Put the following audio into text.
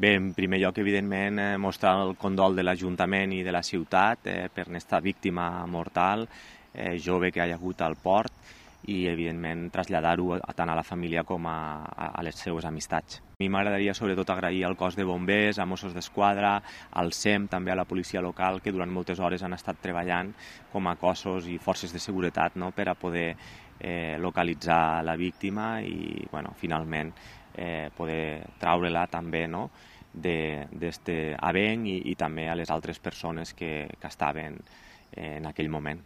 Bé, en primer lloc, evidentment, mostrar el condol de l'Ajuntament i de la ciutat per aquesta víctima mortal jove que hi ha hagut al port i, evidentment, traslladar-ho tant a la família com a les seues amistats. A mi m'agradaria sobretot agrair al cos de bombers, a Mossos d'Esquadra, al SEM, també a la policia local, que durant moltes hores han estat treballant com a cossos i forces de seguretat, no?, per a poder localitzar la víctima i, bueno, finalment poder traure-la també, no?, d'aquest avenc i també a les altres persones que estaven en aquell moment.